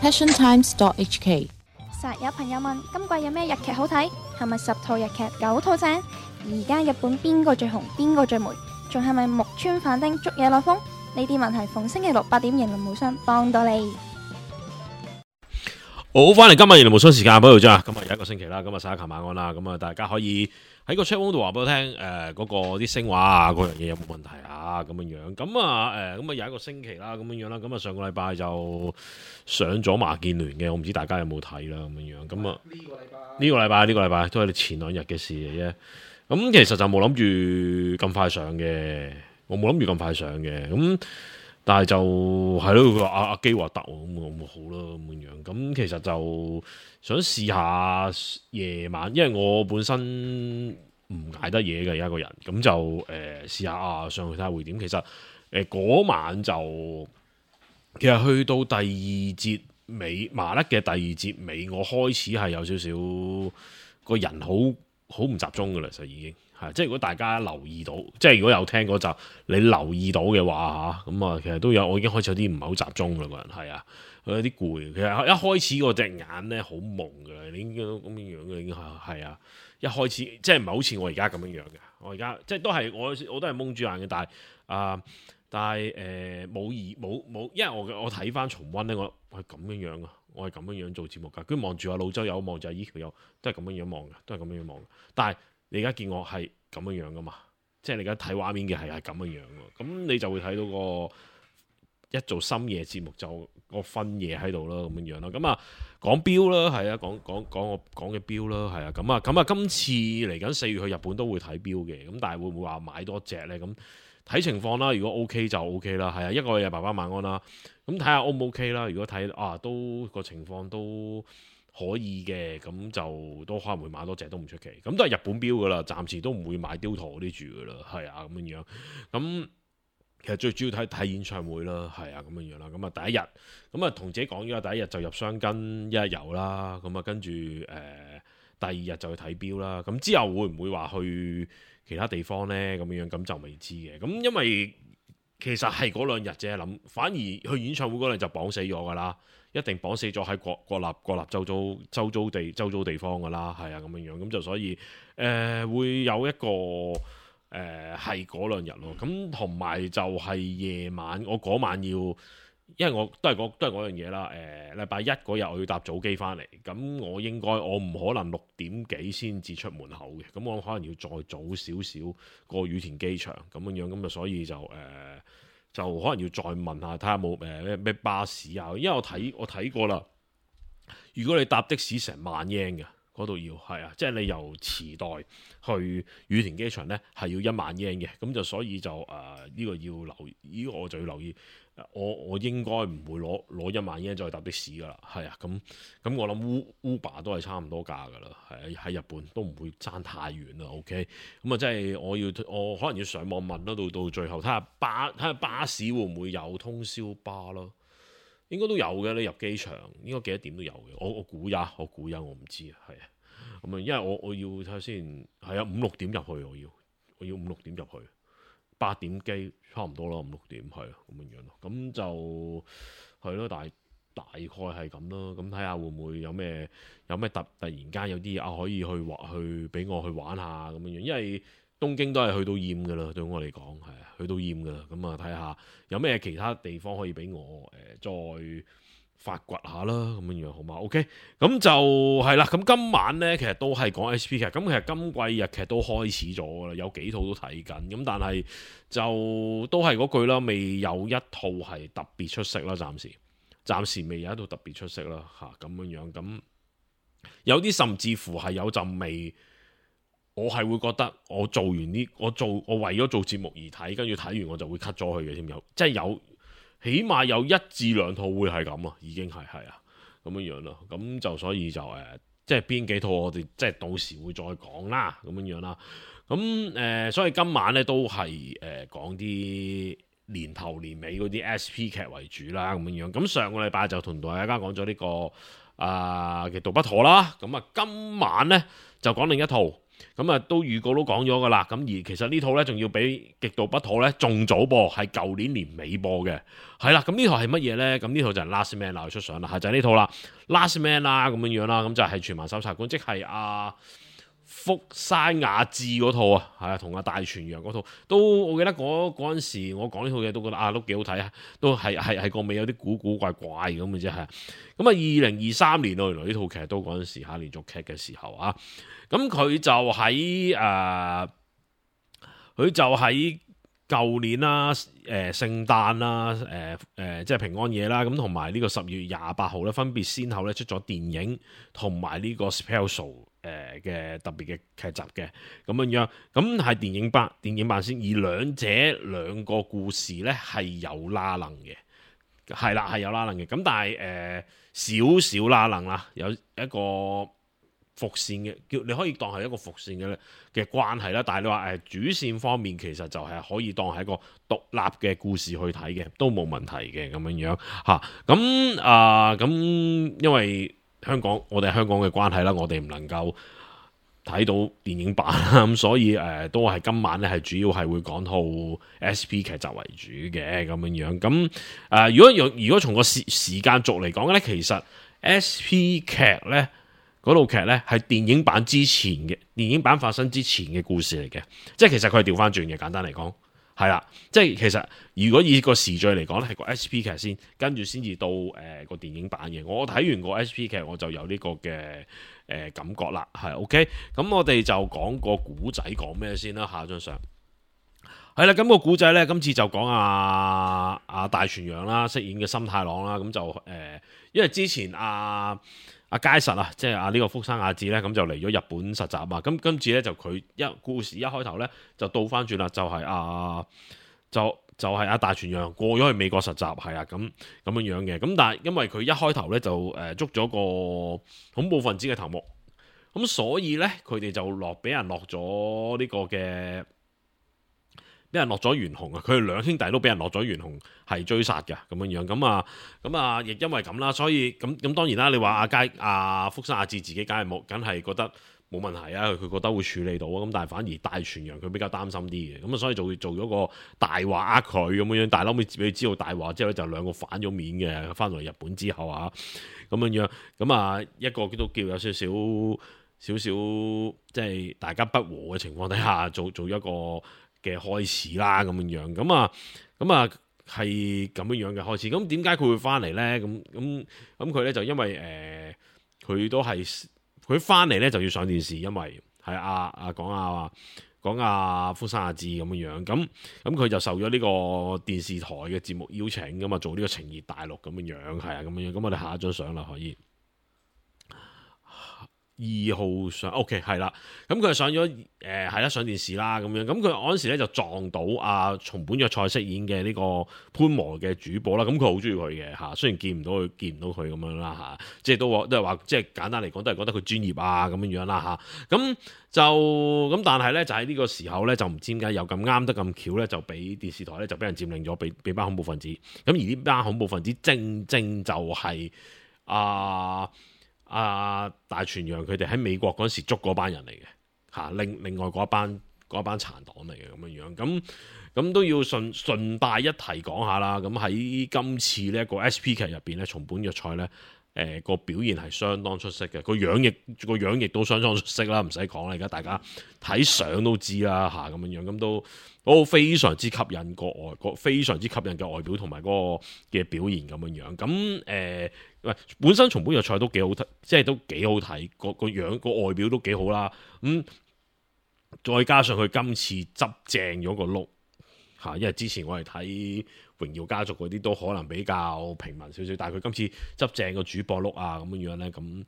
passiontimes.hk。實有朋友問今季有咩日劇好睇？係咪10套日劇9套正？而家日本邊個最紅？邊個最霉？仲係咪木村反町捉野內風？呢啲問題逢星期六8點，型輪無雙幫到你。好，翻嚟今日型輪無雙時間，報道啫。今日有一個星期啦，咁啊，沙琴晚安啦，咁啊，大家可以喺個 chat room 度話俾我聽，嗰個啲聲話啊，嗰樣嘢有冇問題啊？咁樣樣，咁啊，咁啊，有一個星期啦，咁樣樣啦，咁啊，上個禮拜就上咗麻劍聯嘅，我唔知大家有冇睇啦，咁樣樣，咁啊，呢個禮拜都係前2日嘅事嚟啫。咁其實就冇諗住咁快上嘅，我冇諗住咁快上嘅，咁。但係就係咯，佢話阿基話得喎，咁我好啦咁樣。咁其實就想試下夜晚，因為我本身唔捱得嘢嘅而家個人，咁就試下上去睇下會點。其實嗰晚就其實去到第2節尾麻甩嘅第2節尾，我開始係有少少個人好唔集中㗎啦，就已經。即係如果大家留意到，即係如果有聽嗰集，你留意到嘅話嚇，咁啊，其實都有，我已經開始有啲唔係好集中啦，個人係啊，有啲攰。其實一開始嗰隻眼咧好矇㗎，你應該咁樣樣嘅已經係啊。一開始即係唔係好似我而家咁樣樣嘅，我而家即係都係我都係矇住眼嘅，但係冇，因為我睇翻重溫咧，我係咁樣樣㗎，我係咁樣樣做節目㗎。跟住望住阿老周有，望住阿依條友，都係咁樣樣望嘅，都係咁樣樣望嘅，但係。你而家見我係咁樣樣噶嘛？即係你而家睇畫面嘅係咁樣樣喎，咁你就會睇到個一做深夜節目就個分野喺度啦，咁樣樣啦。咁啊講標啦，係啊，講我講嘅標啦，係啊。咁啊，今次嚟緊4月去日本都會睇標嘅，咁但係會唔會話買多隻呢？咁睇情況啦。如果 OK 就 OK 啦，係啊。一個係爸爸晚安啦，咁睇下 O 唔 OK 啦。如果睇都個情況都可以嘅，咁就都可能會買多隻都唔出奇，咁都係日本標噶啦，暫時都唔會買雕陀嗰啲住噶啦，係啊，咁樣樣。咁其實最主要睇演唱會啦，係啊，咁樣樣啦。咁啊第一日，咁啊同自己講咗第一日就入箱根一日遊啦，咁啊跟住第2日就去睇標啦。咁之後會唔會話去其他地方呢？咁樣樣咁就未知嘅。咁因為其實係嗰2日啫，諗反而去演唱會嗰陣就綁死咗噶啦。一定綁死咗喺國立周遭地方㗎啦，係啊，咁樣樣，咁就所以會有一個係嗰2日咯。咁同埋就係夜晚，我嗰晚要，因為我都係嗰樣嘢啦。禮拜1嗰日我要搭早機翻嚟，咁我唔可能6點幾先至出門口嘅，咁我可能要再早少少過羽田機場咁樣樣，咁就所以就可能要再問下，睇下冇咩巴士啊，因為我睇過啦。如果你搭的士成1萬日圓嘅，嗰度要係啊，即係你由池袋去羽田機場呢係要1萬日圓嘅，咁就所以就呢個要留意，呢個我就要留意。我應該唔會攞1萬日圓再搭的士噶啦，係啊，咁我諗 Uber 都係差唔多價噶啦，係喺日本都唔會爭太遠啦。OK，咁啊，即係我可能要上網問啦，到最後睇下巴士會唔會有通宵巴咯？應該都有嘅，你入機場應該幾多點都有嘅。我估呀，我唔知啊，係啊，咁啊，因為我要睇下先，係啊，5-6點入去，我要5-6點入去。8點機差唔多啦，5-6點係啊，咁樣樣咯，咁就係咯，大概係咁咯，咁睇下會唔會有咩突然間有啲可以去俾我去玩下咁樣樣，因為東京都係去到厭噶啦，對我嚟講係啊，去到厭噶啦，咁啊睇下有咩其他地方可以俾我再發掘下啦，咁樣樣好嘛 ？OK， 咁就係啦。咁今晚呢，其實都係講 SP 劇。咁其實今季日劇都開始咗啦，有幾套都睇緊。咁但係就都係嗰句啦，未有一套係特別出色啦。暫時未有一套特別出色啦。咁樣樣咁有啲甚至乎係有陣味，我係會覺得我做完呢，我為咗做節目而睇，跟住睇完我就會 cut 咗佢嘅添。即係有。起碼有1至2套會係咁啊，已經係啊咁樣樣咯。咁就所以就即係邊幾套我哋即係到時會再講啦，咁樣樣啦。咁所以今晚咧都係講啲年頭年尾嗰啲 SP 劇為主啦，咁樣樣。咁上個禮拜就同大家講咗呢個嘅《極道不妥》啦。咁啊，今晚咧就講另一套。咁啊都預告都講咗噶啦。咁而其實呢套呢，仲要比極度不妥呢，仲早播，係舊年年尾播嘅。係啦，咁呢套係乜嘢呢？咁呢套就係 Last Man 啦，出相啦，係就係呢套啦，Last Man 啦咁樣啦，咁就係全民搜查官，即係福山雅治嗰套啊，係啊，同大泉洋嗰套都，我記得嗰陣時我講呢套嘢都覺得都幾好睇啊，都係個尾有啲古怪怪咁嘅啫，係。咁啊2023年原來呢套劇都嗰陣時連續劇嘅時候啊，咁佢就喺舊年啦，聖誕啦，即係平安夜啦，咁同埋呢個10月28號咧，分別先後咧出咗電影同埋呢個 special 嘅特別嘅劇集嘅咁樣，咁係電影版先，而兩個故事咧係有拉楞嘅，係啦係有拉楞嘅，咁但係少少拉楞啦，有一個伏線嘅，你可以當係一個伏線嘅關係啦。但係你話主線方面，其實就係可以當係一個獨立嘅故事去睇嘅，都冇問題嘅咁樣嚇。咁因為我哋香港嘅關係啦，我哋唔能夠睇到電影版啦，咁所以都係今晚咧係主要係會講套 SP 劇集為主嘅咁樣。咁如果從個時間軸嚟講咧，其實 SP 劇咧。嗰套劇呢係電影版之前嘅，電影版發生之前嘅故事嚟嘅，即係其實佢係調翻轉嘅，簡單嚟講係啦，即係其實如果以個時序嚟講咧，係個 SP 劇先，跟住先至到個電影版嘅。我睇完個 SP 劇我就有呢個嘅感覺啦，係 OK。咁我哋就講個古仔講咩先啦，下張相係啦。咁個古仔呢，今次就講大泉洋啦，飾演嘅森太郎啦，咁就因為之前佳實啊，即係呢個福山雅治咧，咁就嚟咗日本實習啊。咁今次咧就佢故事一開頭咧就倒翻轉啦，就係大泉洋過咗去美國實習，係啊咁樣嘅。咁但係因為佢一開頭咧就捉咗個恐怖分子嘅頭目，咁所以咧佢哋就俾人落咗呢個嘅。俾人落咗懸紅啊！佢哋兩兄弟都俾人落咗懸紅，係追殺嘅咁樣。咁啊，亦因為咁啦，所以咁當然啦。你話福山雅治自己梗係覺得冇問題啊，佢覺得會處理到啊。咁但係反而大泉洋佢比較擔心啲嘅，咁啊所以就會做咗個大話佢咁樣。但係後尾俾佢知道大話之後咧，就兩個反咗面嘅。翻嚟日本之後啊，咁樣咁啊一個都叫有少少即係大家不和嘅情況底下做一個嘅開始啦，咁樣咁啊係咁樣嘅開始。咁點解佢會翻嚟咧？咁佢咧就因為佢都係佢翻嚟咧就要上電視，因為係講福山雅治咁樣。咁佢就受咗呢個電視台嘅節目邀請咁啊，做呢個情熱大陸咁樣，係啊咁樣。咁我哋下一張相啦，可以。2號上 OK 係啦，咁佢係上咗上電視啦咁樣，咁佢嗰陣時咧就撞到松本若菜飾演嘅呢個潘和嘅主播啦，咁佢好中意佢嘅嚇，雖然見唔到佢咁樣啦嚇，即係都係話即係簡單嚟講都係覺得佢專業啊咁樣啦嚇，咁但係咧就喺呢個時候咧就唔知點解又咁啱得咁巧咧，就俾電視台咧就俾人佔領咗，俾班恐怖分子，咁而呢班恐怖分子正就係大泉洋佢哋喺美國嗰時捉嗰班人嚟嘅嚇，另外嗰一班殘黨嚟嘅咁樣，咁都要順帶一提講下啦。咁喺今次呢一個 SP 劇入邊咧，松本若菜咧個表現係相當出色嘅，個樣亦都相當出色啦，唔使講啦，而家大家睇相都知啦嚇咁樣，咁都非常之吸引非常之吸引嘅外表同埋嗰個嘅表現咁樣，咁本身松本若菜都幾好睇，即係都幾好睇，個樣個外表都幾好啦。再加上佢今次執正咗個碌嚇，因為之前我哋睇榮耀家族嗰啲都可能比較平民少少，但係佢今次執正個主播碌啊咁樣咧，咁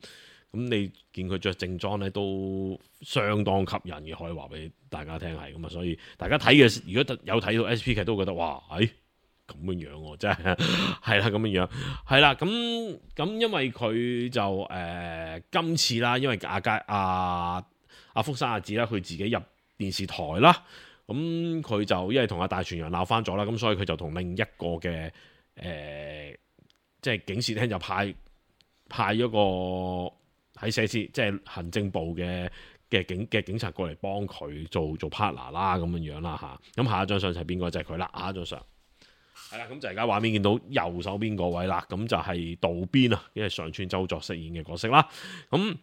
你見佢着正裝咧都相當吸引嘅，可以話俾大家聽係咁啊。所以大家睇嘅如果有睇到 SP 劇都覺得哇，咁樣喎，真係係啦，咁樣係啦，咁因為佢就今次啦，因為福山雅治啦，佢自己入電視台啦，咁佢就因為同大泉洋鬧翻咗啦，咁所以佢就同另一個嘅即係警視廳就派咗個喺寫字即係行政部嘅警察過嚟幫佢做 partner 啦咁樣啦嚇。咁下一張相就係邊個？就係佢啦。下一張相係啦，咁就而家畫面見到右手邊嗰位啦，咁就係渡邊啊，因為上川周作飾演嘅角色啦。咁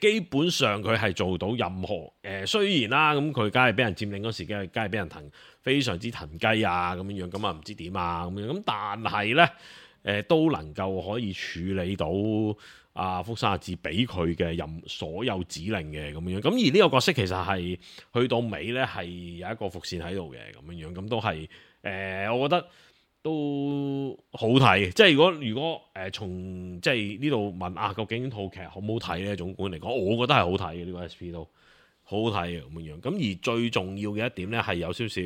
基本上佢係做到任何雖然啦，咁佢梗係俾人佔領嗰時，梗係俾人非常之騰雞啊咁樣，咁啊唔知點啊咁樣，咁但係咧都能夠可以處理到福山雅治俾佢嘅所有指令嘅咁樣，咁而呢個角色其實係去到尾咧係有一個伏線喺度嘅咁樣，咁都係我覺得都好睇。即係如果從即係呢度問究竟套劇好唔好睇呢？總觀嚟講，我覺得係好睇嘅，呢個 SP 都好好睇嘅咁樣。咁而最重要嘅一點咧係有少少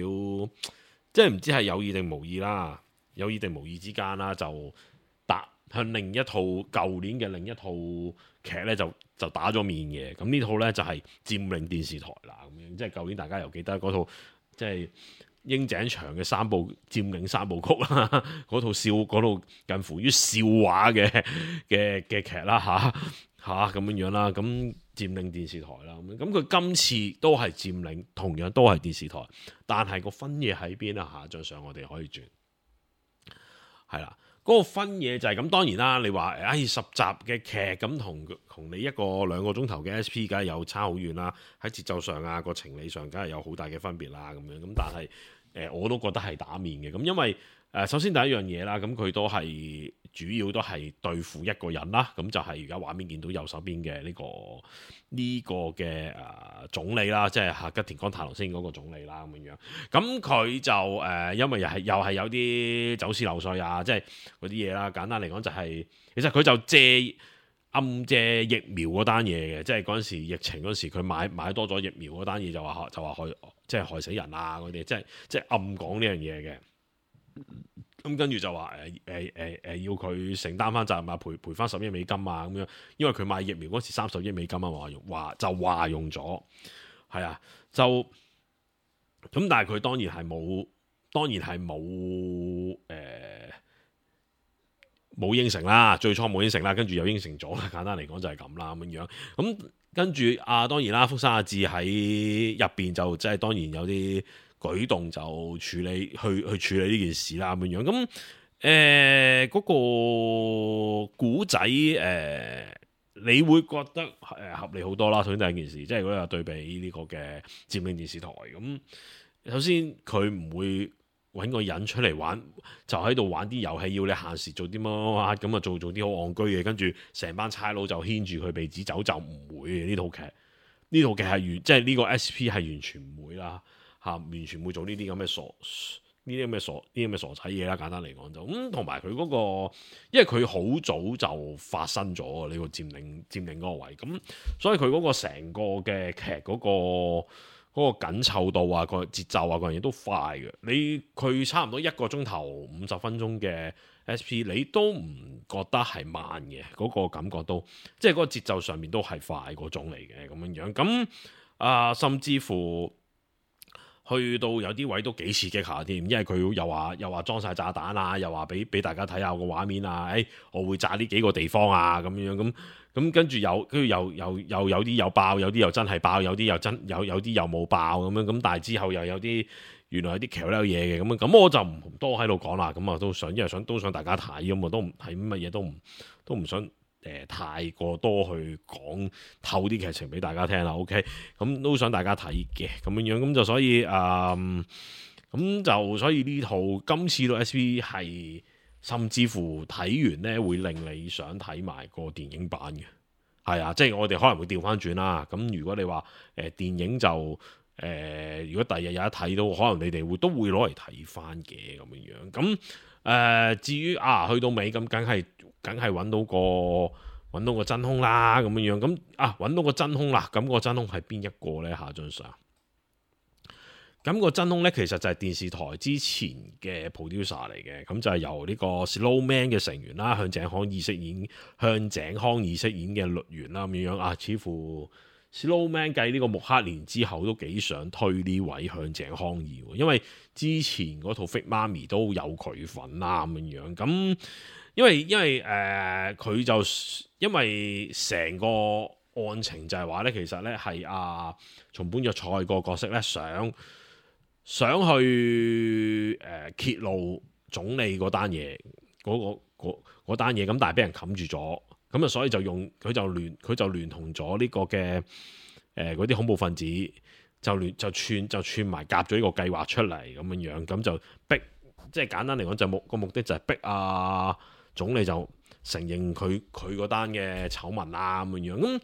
即係唔知係有意定無意啦，有意定無意之間啦，就向另一套舊年嘅另一套劇咧就打咗面嘅。咁呢套咧就係佔領電視台啦咁樣，即係舊年大家又記得嗰套即係櫻井翔嘅佔領三部曲啦，嗰套近乎於笑話嘅劇啦嚇咁樣啦。咁佔領電視台啦，咁佢今次都係佔領，同樣都係電視台，但係個分野喺邊啊？下張相我哋可以轉係啦。嗰個分野就係咁，當然啦。你話10集嘅劇咁同你1個2個鐘頭嘅 SP，梗係有差好遠啦。喺節奏上啊，個情理上梗係有好大嘅分別啦。咁樣咁，但係我都覺得係打面嘅。咁因為首先第一樣嘢啦，咁佢都係主要都係對付一個人啦。咁就係而家畫面見到右手邊嘅呢個嘅總理啦，即係吉田鋼太郎飾演嗰個總理啦咁樣。咁佢就因為又係有啲走私漏稅啊，即係嗰啲嘢啦。簡單嚟講就係其實佢就暗借疫苗嗰單嘢嘅，即係嗰陣時疫情嗰時佢買多咗疫苗嗰單嘢就話害死人啊嗰啲，即係暗講呢樣嘢嘅。咁跟住就話要佢承擔翻責任啊，賠翻10億美金啊咁樣，因為佢買疫苗嗰時30億美金啊，話用咗，係啊，就咁，但係佢當然係冇應承啦，最初冇應承啦，跟住又應承咗啦，簡單嚟講就係咁啦咁樣。咁跟住當然啦，福山雅治喺入邊就即係當然有啲舉動就處理呢件事啦咁樣。咁嗰個古仔你會覺得合理好多啦。首先第一件事，即係如果有對比呢個嘅佔領電視台咁，首先佢唔會揾個人出嚟玩，就喺度玩啲遊戲，要你限時做啲乜咁啊，做啲好戇居嘅，跟住成班差佬就牽住佢鼻子走，就唔會嘅。呢套劇係即係呢個 SP 係完全唔會啦完全唔會做呢啲咁嘅傻仔嘢啦。簡單嚟講就咁，同埋佢嗰個，因為佢好早就發生咗呢個佔領嗰個位，咁所以佢嗰個成個嘅劇嗰個緊湊度啊，個節奏啊，嗰樣嘢都快嘅。佢差唔多1個鐘頭50分鐘嘅 SP， 你都唔覺得係慢嘅，嗰個感覺都即係嗰個節奏上面都係快嗰種嚟嘅咁樣。咁甚至乎去到有啲位都幾刺激下添，因為佢又話裝晒炸彈啊，又話俾大家睇下個畫面啊，我會炸呢幾個地方啊咁樣。咁跟住又有啲有爆，有啲又真係爆，有啲又冇爆咁樣。咁但係之後又有啲原來有啲橋呢嘢嘅咁樣。咁我就唔多喺度講啦。咁啊因為都想大家睇咁啊，都唔係乜嘢都唔想太過多去講透啲劇情俾大家聽啦。OK，咁都想大家睇嘅咁樣。咁就所以所以呢套今次到 SP 係。甚至乎睇完呢會令你想睇埋個電影版嘅，係啊，即係我哋可能會調翻轉啦。咁如果你話電影就如果第日有得睇到，可能你哋都會攞嚟睇翻嘅咁樣。咁至於去到尾咁，梗係揾到個真兇啦咁樣。咁揾到個真兇啦，咁個真兇係邊一個呢？下張相。咁個真兇咧，其實就係電視台之前嘅 producer 嚟嘅，咁就係由呢個 Slowman 嘅成員啦，向井康二飾演嘅律源啦咁樣。似乎 Slowman 繼呢個木克連之後都幾想推呢位向井康二，因為之前嗰套 Fit 媽咪都有佢份啦咁樣。咁因為佢就因為成個案情就係話咧，其實咧係松本若菜個角色咧想去揭露總理嗰單嘢嗰單嘢，咁但係俾人冚住咗，咁啊所以佢就聯同咗呢個嘅嗰啲恐怖分子就串埋夾咗呢個計劃出嚟咁樣，咁就逼，即係簡單嚟講就個目的就係逼總理就承認佢嗰單嘅醜聞啦咁樣，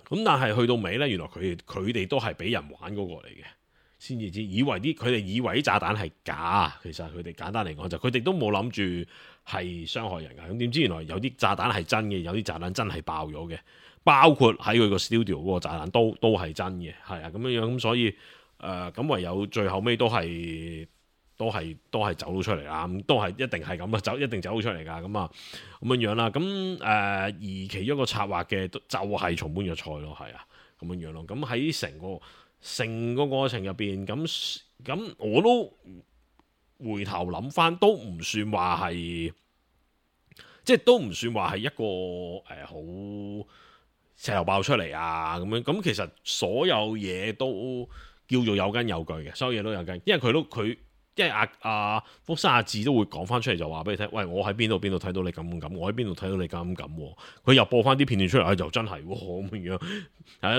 咁但係去到尾咧，原來佢哋都係俾人玩嗰個嚟嘅，先至知佢哋以為啲炸彈係假，其實佢哋簡單嚟講就佢哋都冇諗住係傷害人㗎，咁點知原來有啲炸彈係真嘅，有啲炸彈真係爆咗嘅，包括喺佢個 studio 嗰個炸彈都係真嘅，係啊咁樣，咁所以咁唯有最後尾都係走到出嚟啦，咁都係一定係咁啊，一定走到出嚟㗎，咁樣啦，咁而其中一個策劃嘅就係松本若菜咯，係啊，咁樣咯，咁喺成個過程入邊，咁我都回頭諗翻，都唔算話係，即係都唔算話係一個好石頭爆出嚟啊咁樣，咁其實所有嘢都叫做有根有據嘅，所有嘢都有根，因為因為福山雅治都會講翻出嚟，就話俾你聽，喂，我喺邊度睇到你咁，我喺邊度睇到你咁，佢又播翻啲片段出嚟，就真係咁樣，係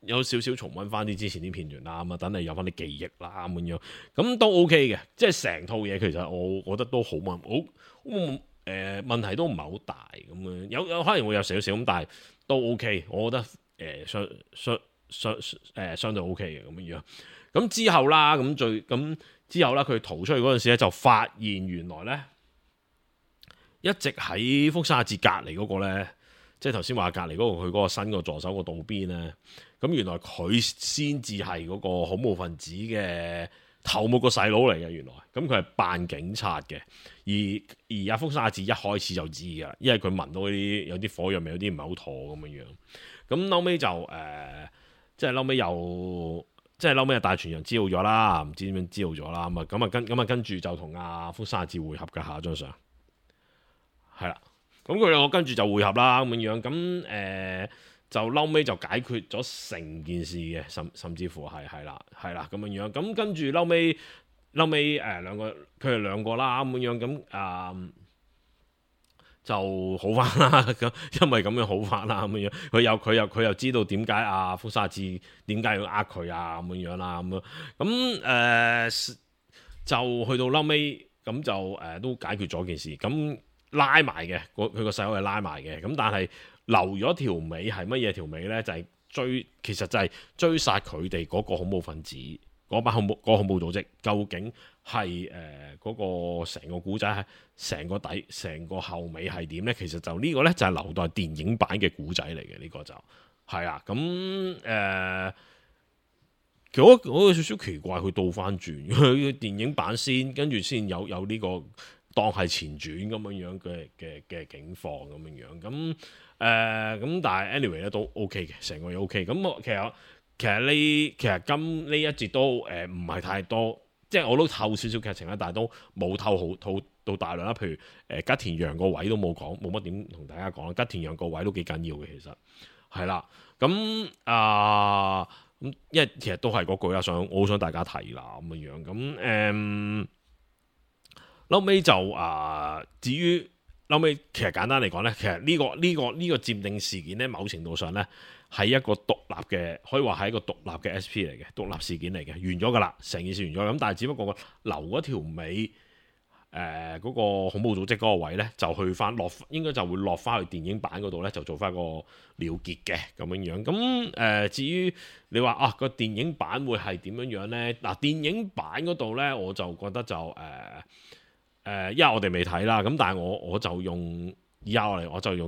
有少少重溫翻啲之前啲片段啦，咁啊，等你有翻啲記憶啦咁樣，咁都 OK 嘅，即係成套嘢其實我覺得都好問題都唔係好大咁樣，有可能會有少少咁，但係都 OK，我覺得相對 OK 嘅咁樣。咁之後啦，之後啦，佢逃出去嗰陣時咧，就發現原來咧一直喺福山雅治隔離嗰個咧，即係頭先話隔離嗰個佢嗰個新個助手個道邊咧，咁原來佢先至係嗰個恐怖分子嘅頭目個細佬嚟嘅，原來，咁佢係扮警察嘅，而福山雅治一開始就知㗎，因為佢聞到啲有啲火藥味，有啲唔係好妥咁樣，咁後尾就即係後尾又。即係後尾大傳人知道咗啦，唔知點樣知道咗啦，跟住就同福山雅治會合嘅下一張相，係啦，咁佢兩個跟住就會合啦咁樣，咁就後尾就解決咗成件事嘅，甚至乎係啦咁樣，咁跟住後尾佢哋兩個啦咁樣，咁就好翻啦，咁因為咁樣好翻啦，咁樣佢又知道點解福山雅治點解要佢咁樣啦，咁就去到後尾咁就都解決咗件事，咁拉埋嘅，佢個細佬係拉埋嘅，咁但係留咗條尾係乜嘢條尾咧？就係其實就係追殺佢哋嗰個恐怖分子。嗰班恐怖組織究竟係嗰個成個古仔係成個後尾係點呢？其實就呢個呢，就係留待電影版嘅古仔嚟嘅，呢個就係啊。咁其實我有少少奇怪，佢倒翻轉，佢電影版先，跟住先有呢個當係前傳咁樣嘅境況咁樣。咁但係 anyway 咧都 OK 嘅，成個嘢 OK。咁其實今呢一節都唔係太多，即係我都透少少劇情啦，但係都冇透到大量啦。譬如吉田羊個位都冇講，冇乜點同大家講啦。吉田羊個位都幾緊要嘅，其實係啦。咁因為其實都係嗰句啦，我好想大家睇啦咁樣。咁後尾就至於後尾，其實簡單嚟講咧，其實呢個佔領事件咧，某程度上咧。係一個獨立嘅，可以話係一個獨立嘅 SP 嚟嘅，獨立事件嚟嘅，完咗㗎啦，成件事完咗。咁但係只不過留嗰條尾，嗰個恐怖組織嗰個位咧，就去翻應該就會落翻去電影版嗰度咧，就做翻個了結嘅咁樣。咁至於你話個電影版會係點樣咧？嗱，電影版嗰度咧，我就覺得就因為我哋未睇啦，咁但係我就用。以下落嚟我就用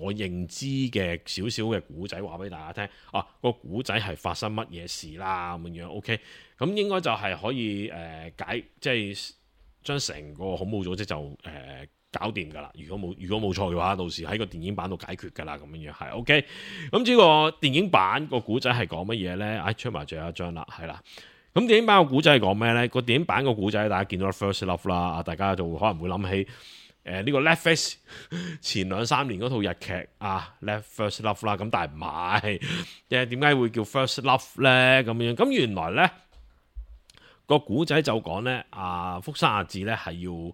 我認知嘅少少嘅古仔話俾大家聽，個古仔係發生乜嘢事啦咁樣 OK，咁應該就係可以即係將成個恐怖組織就搞掂㗎啦。如果冇錯嘅話，到時喺個電影版度解決㗎啦，咁樣係 OK。咁呢個電影版個古仔係講乜嘢咧？出埋最後一張啦，係啦。咁電影版個古仔係講咩呢？個電影版個古仔大家見到 First Love 啦，大家就可能會諗起呢個 Netflix 前2-3年嗰套日劇啊，First Love 啦。咁但係唔係，點解會叫 First Love 呢？咁樣咁原來呢個古仔就講呢，福山雅治呢係要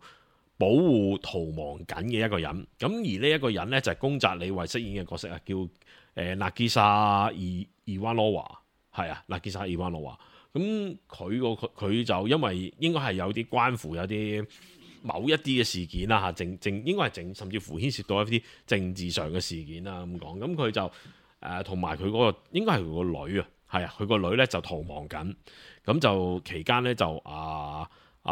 保護逃亡緊嘅一個人。咁而呢一個人呢，就係宮澤理惠飾演嘅角色啊，叫Nagisa Ivanova，係啊，Nagisa Ivanova。咁佢就因為應該係有啲關乎有啲某一啲嘅事件啦嚇，應該係甚至乎牽涉到一啲政治上嘅事件啦咁講。咁佢就同埋佢嗰個應該係佢個女啊，係啊，佢個女咧就逃亡緊。咁就期間咧就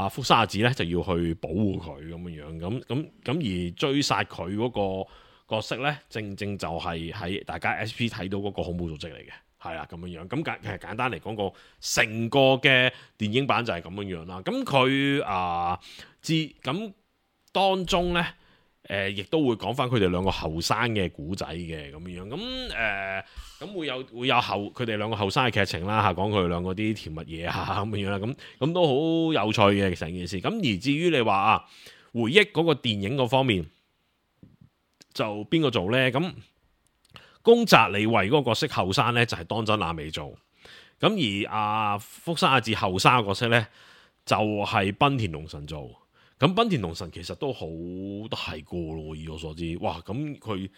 福山雅治咧就要去保護佢咁樣。咁而追殺佢嗰個角色咧，正就係喺大家 SP 睇到嗰個恐怖組織嚟嘅。係啊，咁樣。咁其實簡單嚟講，個成個嘅電影版就係咁樣啦。咁佢咁當中咧，亦都會講翻佢哋兩個後生嘅古仔嘅咁樣。咁會有佢哋兩個後生嘅劇情啦嚇，講佢哋兩個啲甜蜜嘢咁樣啦。咁都好有趣嘅成件事。咁而至於你話回憶嗰個電影嗰方面，就邊個做咧？咁宮澤理惠嗰個角色後生咧就係當真亞美做，咁而福山雅治後生嘅角色咧就係濱田龍臣做。咁濱田龍臣其實都好大個咯，以我所知，哇！咁佢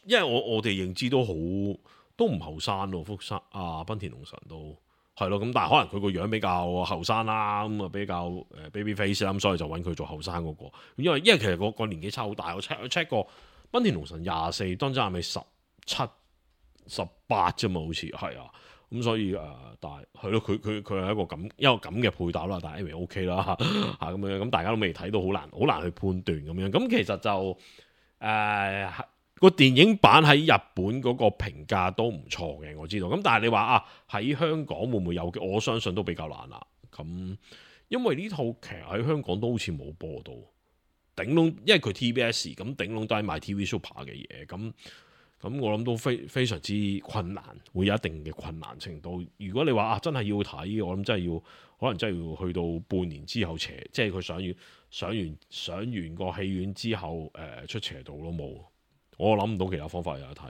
因為我哋認知都唔後生咯，濱田龍臣都係咯。咁但係可能佢個樣比較後生啦，咁啊比較baby face 啦，咁所以就揾佢做後生嗰個。因為其實個年紀差好大，我 check 過濱田龍臣24，當真亞美17、18啫嘛，好似係啊，咁所以但係係咯，佢係一個咁嘅配搭啦，但係 anyway OK 啦嚇咁樣，咁大家都未睇到，好難去判斷咁樣。咁其實就個電影版喺日本嗰個評價都唔錯嘅，我知道。咁但係你話喺香港會唔會有嘅？我相信都比較難啦。咁因為呢套劇喺香港都好似冇播到，頂籠因為佢 TBS 咁頂籠都係賣 TV Super 嘅嘢咁我諗都非常之困難，會有一定嘅困難程度。如果你話真係要睇，我諗可能真係要去到半年之後即係佢上完個戲院之後出邪道咯，冇。我諗唔到其他方法有得睇。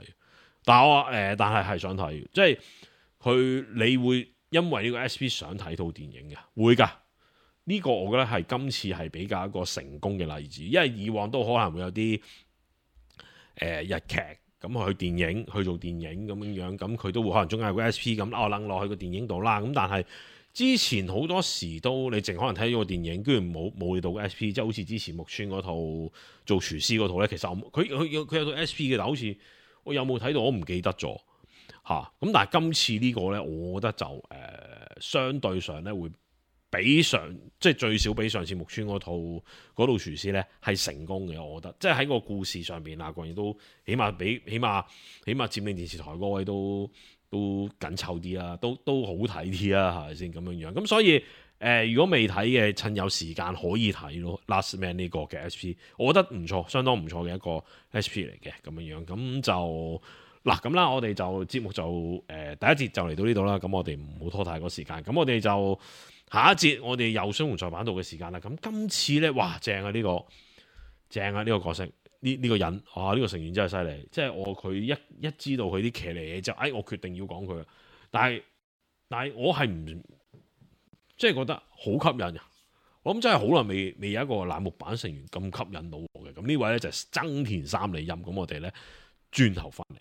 但係想睇，即係你會因為呢個 SP 想睇套電影嘅，會㗎。呢個我覺得係今次係比較一個成功嘅例子，因為以往都可能會有啲日劇。咁去電影去做電影咁樣，咁佢都會可能中間有個 SP 咁掕落去個電影度啦。咁但係之前好多時都你淨可能睇咗個電影，居然冇到個 SP，即係好似之前木村嗰套做廚師嗰套咧，其實佢有套 SP 嘅，但好似我有冇睇到我唔記得咗嚇。咁但係今次呢個咧，我覺得就相對上咧會即係最少比上次木村嗰套廚師咧係成功嘅，我覺得即係喺個故事上邊啊，個人都起碼佔領電視台嗰位都緊湊啲啦，都好睇啲啦，係咪先咁樣？咁所以如果未睇嘅，趁有時間可以睇咯。Last Man 呢個嘅 SP， 我覺得唔錯，相當唔錯嘅一個 SP 嚟嘅咁樣。咁就咁啦，我哋就節目就第一節就嚟到呢度啦。咁我哋唔好拖太多時間，咁我哋就下一節我哋又雙紅在版度嘅時間啦。咁今次咧，哇正啊！呢個角色呢個人呢個成員真係犀利。即係佢一知道佢啲騎呢嘢就我決定要講佢。但係我係唔即係覺得好吸引啊！我諗真係好耐未有一個欄目版成員咁吸引到我嘅。咁呢位咧就係增田三里音。咁我哋咧轉頭翻嚟。